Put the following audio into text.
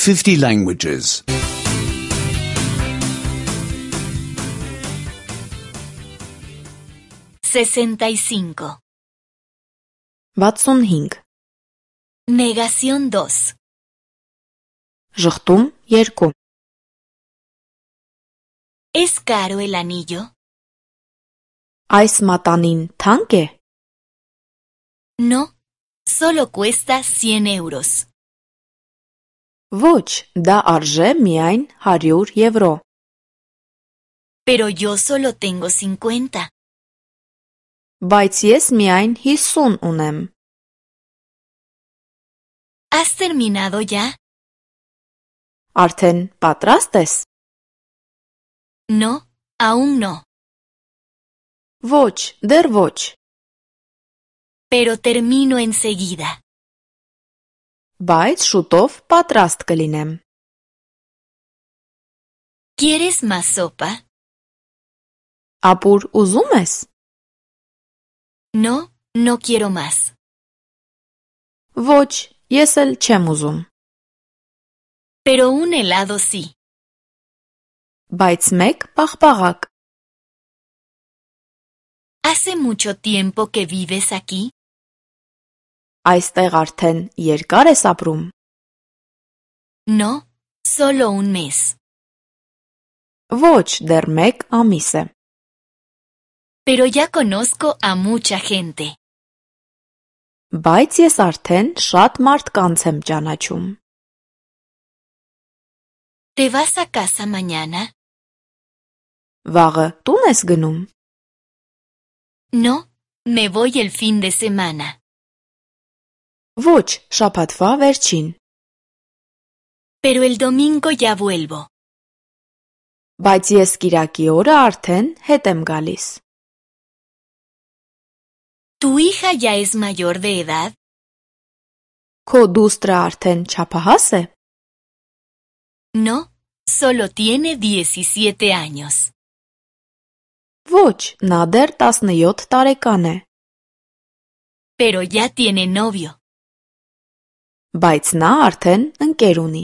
50 languages. 65. 65. Negación 2. Ժխտում 2. ¿Es caro el anillo? Այս մատանին թանկ է։ No, solo cuesta 100 euros. Ոչ, դա արժե միայն 100 եվրո։ Pero yo solo tengo 50. Բայց ես միայն 50 ունեմ։ ¿Has terminado ya? Արդեն պատրաստ ես։ No, aún no. Ոչ, դեռ ոչ։ Pero termino enseguida. Բայց շուտով պատրաստ կլինեմ։ ¿Quieres más sopa? Ապուր ուզում ես։ No, no quiero más. Ոչ, ես էլ չեմ ուզում։ Pero un helado sí. Բայց մեկ պաղպաղակ։ ¿Hace mucho tiempo que vives aquí? Այստեղ արդեն երկար ես ապրում։ No, solo un mes. Ոչ, դեռ մեկ ամիս է։ Pero ya conozco a mucha gente. Բայց ես արդեն շատ մարդկանց եմ ճանաչում։ ¿Te vas a casa mañana? Վաղը տուն ես գնում։ No, me voy el fin de semana. Ոչ, շաբաթվա վերջին։ Pero el domingo ya vuelvo. Բայց ես կիրակի օրը արդեն հետ եմ գալիս։ ¿Tu hija ya es mayor de edad? Քո դուստրը արդեն չափահաս է։ No, solo tiene 17 años. Ոչ, նա դեռ 17 տարեկան է։ Pero ya tiene novio. Բայց նա արդեն ընկեր ունի։